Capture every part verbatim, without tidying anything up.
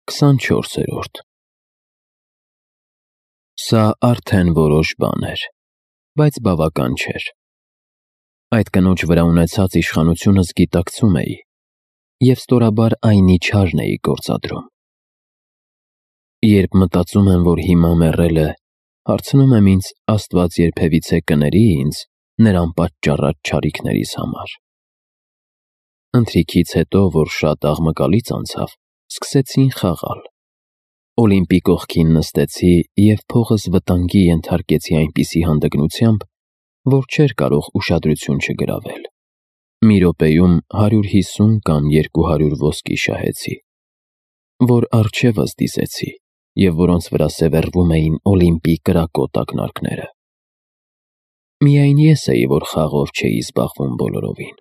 քսանչորսերորդ Սա արդեն որոշ բան էր, բայց բավական չէր։ Այդ կնոջ վրա ունեցած իշխանությունս գիտակցում էի և ստորաբար այնի չարն էի գործադրում։ Երբ մտածում եմ, որ հիմա մեռել է, հարցնում եմ ինձ, Աստված երբևիցե կների ինձ նրան պատճառած չարիքներիս համար։ Ընթրիքից հետո, որ շատ աղմկալից անցավ, սկսեցին խաղալ։ Օլիմպի կողքին նստեցի և փողս վտանգի ենթարկեցի այնպիսի հանդգնությամբ, որ չէր կարող ուշադրություն չգրավել։ Մի րոպեում հարյուր հիսուն կամ երկու հարյուր ոսկի շահեցի, որ առջևս դիսեցի և որոնց վրա սևեռվում էին Օլիմպի կրակոտ ակնարկները։ Միայն ես էի, որ խաղով չէի զբաղվում բոլորովին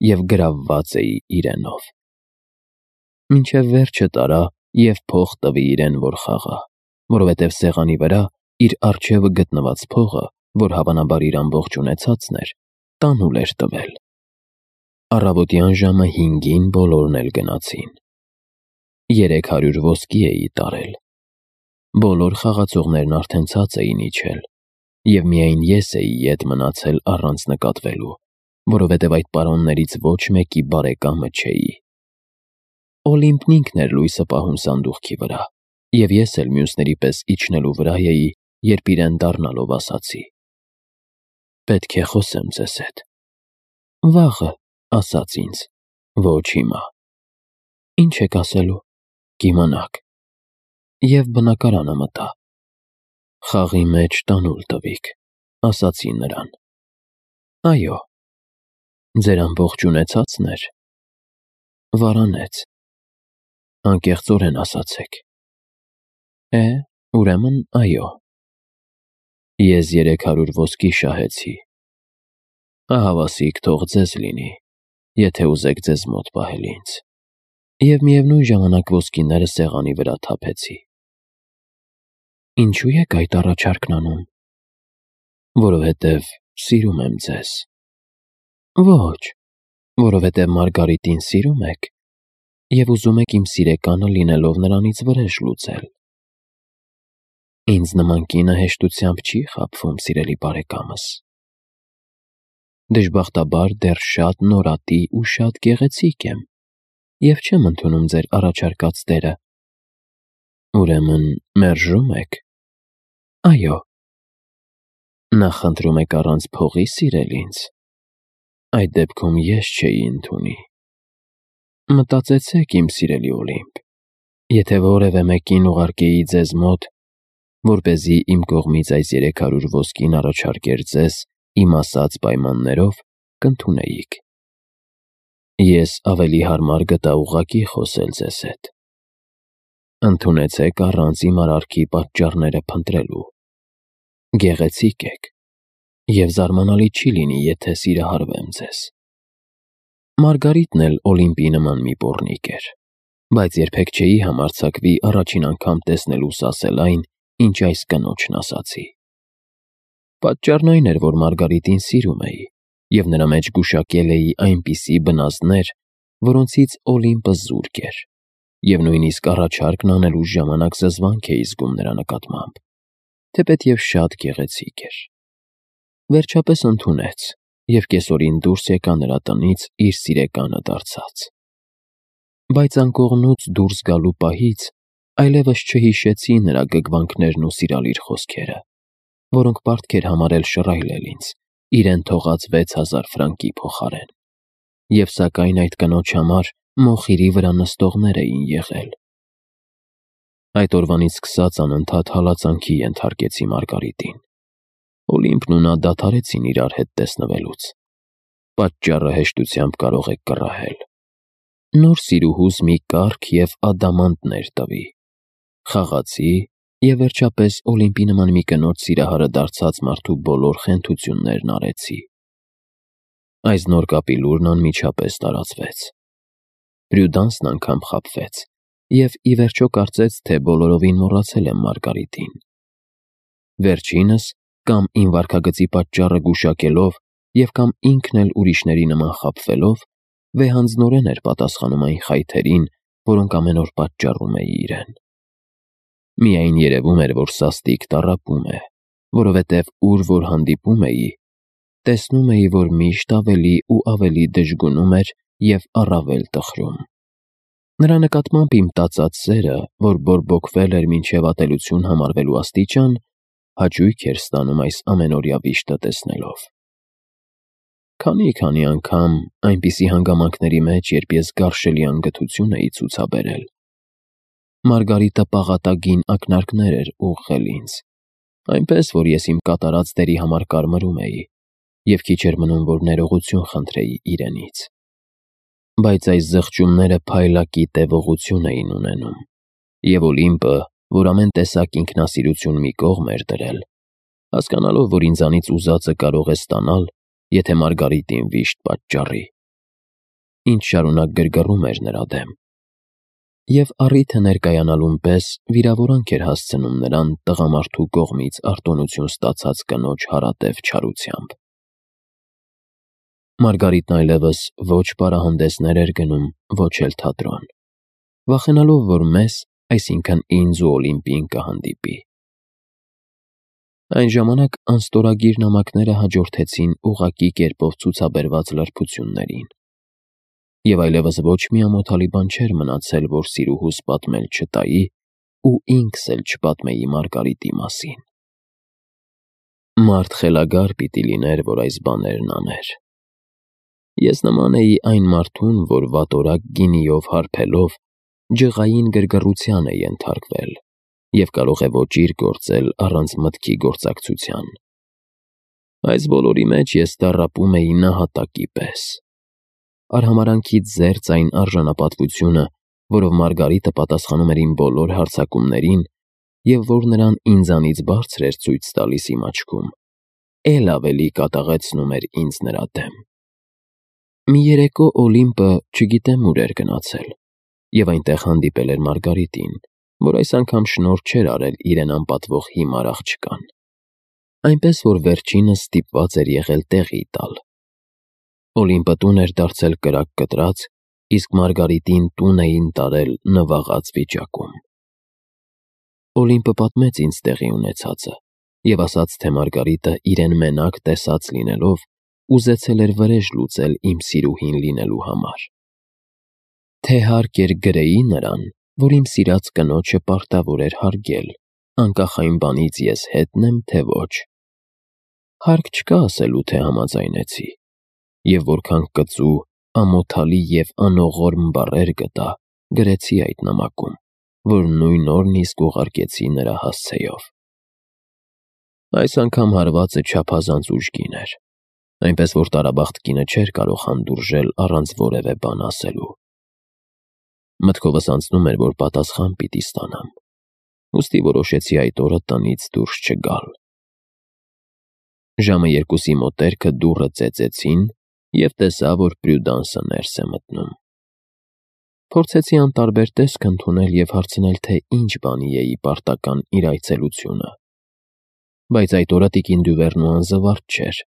և գրավված էի իրենով։ Մինչև վերջը տարա և փող տվի իրեն, որ խաղա, որովհետև սեղանի վրա իր առջևը գտնված փողը, որ հավանաբար իր ամբողջ ունեցածն էր, տանուլ էր տվել։ Առավոտյան ժամը հինգին բոլորն էլ գնացին։ Երեք հարյուր ոսկի էի տարել։ Բոլոր խաղացողներն արդեն ցած էին իջել, և միայն ես էի ետ մնացել առանց նկատվելու, որովհետև այդ պարոններից ոչ մեկի բարեկամը չէի։ Օլիմպն ինքն էր լույսը պահում սանդուղքի վրա, և ես էլ մյուսների պես իջնելու վրա էի, երբ իրեն դառնալով ասացի. «Պետք է խոսեմ ձեզ հետ»։ «Վաղը», ասաց ինձ, «ոչ հիմա»։ «Ինչ եք ասելու»։ «Կիմանաք»։ Եվ բնակարանը մտա։ «Խաղի մեջ տանուլ տվիք», ասացի նրան։ «Այո»։ «Ձեր ամբողջ ունեցածն էր»։ «Վարանեց»։ «Անկեղծորեն ասացեք»։ «Է, ուրեմն, այո»։ «Ես երեք հարյուր ոսկի շահեցի։ Ահավասիկ թող ձեզ լինի, եթե ուզեք ձեզ մոտ պահել ինձ, և միևնույն ժամանակ ոսկիները սեղանի վրա թափեցի»։ «Ինչու եք այդ առաջարկն անում»։ «Որովհետև սիրում եմ ձեզ»։ «Ոչ, որովհետև Մարգարիտին սիրում եք և ուզում եք իմ սիրեկանը լինելով նրանից վրեժ լուծել»։ «Ինձ նման կինը հեշտությամբ չի խաբվում, սիրելի բարեկամս»։ «Դժբախտաբար դեռ շատ նորատի ու շատ գեղեցիկ եմ և չեմ ընդունում ձեր առաջարկած դերը»։ «Ուրեմն մերժո՞ւմ եք»։ «Այո»։ «Նախընտրում եք առանց փողի սիրել ինձ։ Այդ դեպքում ես չէի ընդունի»։ «Մտածեցեք, իմ սիրելի Օլիմպ, եթե որևէ մեկին ուղարկեի ձեզ մոտ, որպեսզի իմ կողմից այս երեք հարյուր ոսկին առաջարկեր ձեզ իմ ասած պայմաններով, կընդունեիք։ Ես ավելի հարմար գտա ուղղակի խոսել ձեզ հետ։ Ընդունեցեք առանց իմ արարքի պատճառները փնտրելու։ Գեղեցիկ եք, և զարմանալի չի լինի, եթե սիրահարվեմ ձեզ»։ Մարգարիտն էլ Օլիմպի նման մի պոռնիկ էր, բայց երբեք չէի համարձակվի առաջին անգամ տեսնելուս ասել այն, ինչ այս կնոջն ասացի։ Պատճառն այն էր, որ Մարգարիտին սիրում էի և նրա մեջ գուշակել էի այնպիսի բնազդներ, որոնցից Օլիմպը զուրկ էր, և նույնիսկ առաջարկն անելուս ժամանակ զզվանք էի զգում նրա նկատմամբ, թեպետև շատ գեղեցիկ էր։ Վերջապես ընդունեց և կեսօրին դուրս եկա նրա տնից իր սիրեկանը դարձած։ Բայց անկողնուց դուրս գալու պահից այլևս չհիշեցի նրա գգվանքներն ու սիրալիր խոսքերը, որոնք պարտք էր համարել շռայլել ինձ, իրեն թողած վեց հազար ֆրանկի փոխարեն, և սակայն այդ կնոջ համար մոխիրի վրա նստողներ էին եղել։ Այդ օրվանից սկսած անընդհատ հալածանքի ենթարկեցի Մարգարիտին։ Օլիմպն ու նա դադարեցին իրար հետ տեսնվելուց։ Պատճառը հեշտությամբ կարող եք կռահել։ Նոր սիրուհուս մի կառք և ադամանդներ տվի։ Խաղացի և վերջապես Օլիմպի նման մի կնոջ սիրահարը դարձած մարդու բոլոր խենթություններն արեցի։ Այս նոր կապի լուրն անմիջապես տարածվեց։ Պրյուդանսն անգամ խաբվեց և ի վերջո կարծեց, թե բոլորովին մոռացել եմ Մարգարիտին։ Վերջինս, կամ իմ վարքագծի պատճառը գուշակելով և կամ ինքն էլ ուրիշների նման խաբվելով, վեհանձնորեն էր պատասխանում այն խայթերին, որոնք ամեն օր պատճառում էի իրեն։ Միայն երևում էր, որ սաստիկ տառապում է, որովհետև ուր որ հանդիպում էի, տեսնում էի, որ միշտ ավելի ու ավելի դժգունում էր և առավել տխրում։ Նրա նկատմամբ իմ տածած սերը, որ բորբոքվել էր մինչև ատելություն համարվելու աստիճան, հաճույք էր ստանում այս ամենօրյա վիշտը տեսնելով։ Քանի-քանի անգամ այնպիսի հանգամանքների մեջ, երբ ես գարշելի անգթություն էի ցուցաբերել, Մարգարիտը պաղատագին ակնարկներ էր ուղղել ինձ, այնպես, որ ես իմ կատարած դերի համար կարմրում էի և քիչ էր մնում, որ ներողություն խնդրեի իրենից։ Բայց այս զղջումները փայլակի տևողություն էին ունենում, և Օլիմպը, որ ամեն տեսակ ինքնասիրություն մի կողմ էր դրել, հասկանալով, որ ինձանից ուզածը կարող է ստանալ, եթե Մարգարիտին վիշտ պատճառի, ինձ շարունակ գրգռում էր նրա դեմ, և առիթը ներկայանալուն պես վիրավորանք էր հասցնում նրան տղամարդու կողմից արտոնություն ստացած կնոջ հարատև չարությամբ։ Մարգարիտն այլևս ոչ պարահանդեսներ էր գնում, ոչ էլ թատրոն, վախենալով, որ մեզ, այսինքն ինձ ու Օլիմպին կհանդիպի։ Այն ժամանակ անստորագիր նամակները հաջորդեցին ուղղակի կերպով ցուցաբերված լրբություններին, և այլևս ոչ մի ամոթալի բան չէր մնացել, որ սիրուհուս պատմել չտայի ու ինքս էլ չպատմեի Մարգարիտի մասին։ Մարդ խելագար պիտի լիներ, որ այս բաներն աներ։ Ես նման էի այն մարդուն, որ վատորակ գինիով հարբելով ջղային գրգռության է ենթարկվել և կարող է ոճիր գործել առանց մտքի գործակցության։ Այս բոլորի մեջ ես տառապում էի նահատակի պես։ Արհամարհանքից զերծ այն արժանապատվությունը, որով Մարգարիտը պատասխանում էր իմ բոլոր հարձակումներին և որ նրան ինձանից բարձր էր ցույց տալիս իմ աչքում, էլ ավելի կատաղեցնում էր ինձ նրա դեմ։ Մի երեկո Օլիմպը չգիտեմ ուր էր գնացել, և այնտեղ հանդիպել էր Մարգարիտին, որ այս անգամ շնորհ չէր արել իրեն անպատվող հիմար աղջկան, այնպես որ վերջինս ստիպված էր եղել տեղի տալ։ Օլիմպը տուն էր դարձել կրակ կտրած, իսկ Մարգարիտին տուն էին տարել նվաղած վիճակում։ Օլիմպը պատմեց ինձ տեղի ունեցածը և ասաց, թե Մարգարիտը իրեն մենակ տեսած լինելով, ուզեցել էր վրեժ լուծել իմ սիրուհին լինելու համար։ Թե հարկ էր գրեի նրան, որ իմ սիրած կնոջը պարտավոր էր հարգել, անկախ այն բանից ես հետն եմ, թե ոչ։ Հարկ չկա ասելու, թե համաձայնեցի, և որքան կծու, ամոթալի և անողորմ բառեր գտա, գրեցի այդ նամակում, որ նույն օրն իսկ ուղարկեցի նրա հասցեով։ Այս անգամ հարվածը չափազանց ուժգին էր, այնպես որ տարաբախտ կինը չէր կարող հանդուրժել առանց որևէ բան ասելու։ Մտքովս անցնում էր, որ պատասխան պիտի ստանամ, ուստի որոշեցի այդ օրը տնից դուրս չգալ։ Ժամը երկուսի մոտերքը դուռը ծեծեցին, և տեսա, որ Պրյուդանսը ներս է մտնում։ Փորձեցի անտարբեր տեսք ընդունել և հարցնել, թե ինչ բանի է ի պարտական իր այցելությունը։ Բայց այդ օրը տիկին Դյուվերնուան զվարթ չէր,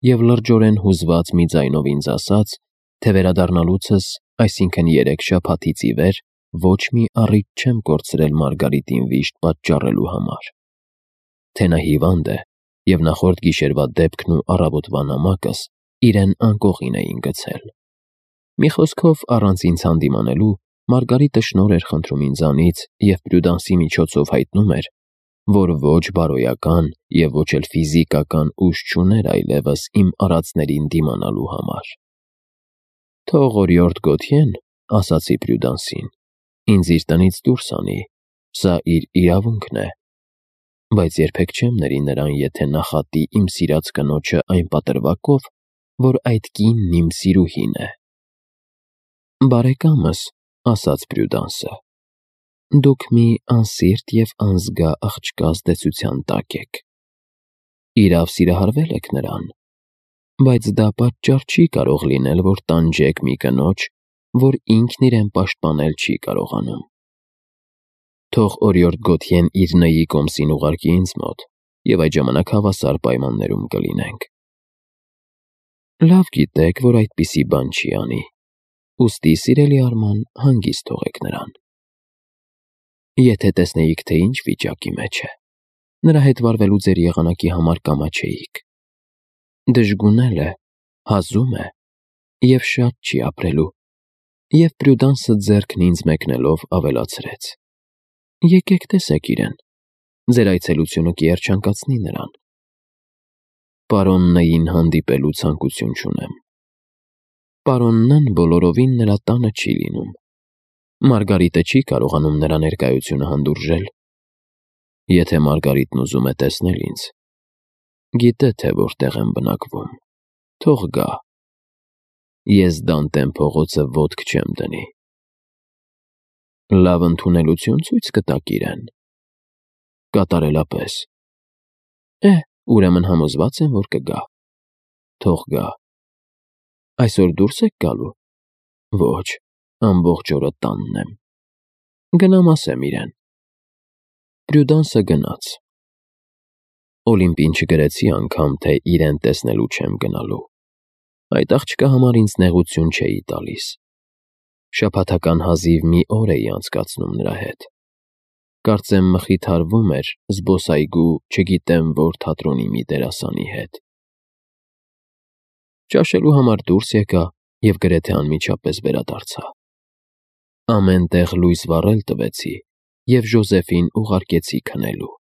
և լրջորեն հուզված մի ձայնով ինձ ասաց, թե վերադառնալուցս, այսինքն երեք շաբաթից ի վեր, ոչ մի առիթ չեմ կորցրել Մարգարիտին վիշտ պատճառելու համար, թե նա հիվանդ է, և նախորդ գիշերվա դեպքն ու առավոտվա նամակս իրեն անկողին էին գցել։ Մի խոսքով, առանց ինձ հանդիմանելու, Մարգարիտը շնորհ էր խնդրում ինձանից և Պրյուդանսի միջոցով հայտնում էր, որ ոչ բարոյական և ոչ էլ ֆիզիկական ուժ չուներ այլևս իմ արածներին դիմանալու համար։ Թող օրիորդ Գոթյեն, ասացի Պրյուդանսին, ինձ իր տնից դուրս անի, սա իր իրավունքն է, բայց երբեք չեմ ների նրան, եթե նախատի իմ սիրած կնոջը այն պատրվակով, որ այդ կինն իմ սիրուհին է։ Բարեկամս, ասաց Պրյուդանսը, դուք մի անսիրտ և անզգա աղջկա ազդեցության տակ եք։ Իրավ սիրահարվել եք նրան, բայց դա պատճառ չի կարող լինել, որ տանջեք մի կնոջ, որ ինքն իրեն պաշտպանել չի կարողանում։ Թող օրիորդ Գոթյեն իր նայի կոմսին ուղարկի ինձ մոտ, և այդ ժամանակ հավասար պայմաններում կլինենք։ Լավ գիտեք, որ այդպիսի բան չի անի, Ուստի, սիրելի Արման, հանգիստ թողեք նրան։ Եթե տեսնեիք, թե ինչ վիճակի մեջ է, նրա հետ վարվելու ձեր եղանակի համար կամաչեիք։ Դժգունել է, հազում է և շատ չի ապրելու, և Պրյուդանսը ձեռքն ինձ մեկնելով ավելացրեց. Եկեք տեսեք իրեն, ձեր այցելությունը կերջանկացնի նրան։ Պարոն Ն-ին հանդիպելու ցանկություն չունեմ։ Պարոն Ն-ն բոլորովին նրա տանը չի լինում։ Մարգարիտը չի կարողանում նրա ներկայությունը հանդուրժել։ Եթե Մարգարիտն ուզում է տեսնել ինձ, գիտե, թե որտեղ եմ բնակվում, թող գա։ Ես Դանտեն փողոցը ոտք չեմ դնի։ Լավ ընդունելություն ցույց կտաք իրեն։ Կատարելապես։ Է, ուրեմն համոզված եմ, որ կգա։ Թող գա։ Այսօր դուրս եք գալու։ Ոչ, ամբողջ օրը տանն եմ։ Գնամ ասեմ իրեն։ Պրյուդանսը գնաց։ Օլիմպին չգրեցի անգամ, թե իրեն տեսնելու չեմ գնալու։ Այդ աղջկա համար ինձ նեղություն չէի տալիս։ Շաբաթական հազիվ մի օր էի անցկացնում նրա հետ։ Կարծեմ մխիթարվում էր զբոսայգու չգիտեմ որ թատրոնի մի դերասանի հետ։ Ճաշելու համար դուրս եկա և գրեթե անմիջապես վերադարձա։ Ամեն տեղ լույս վառել տվեցի և Ժոզեֆին ուղարկեցի քնելու։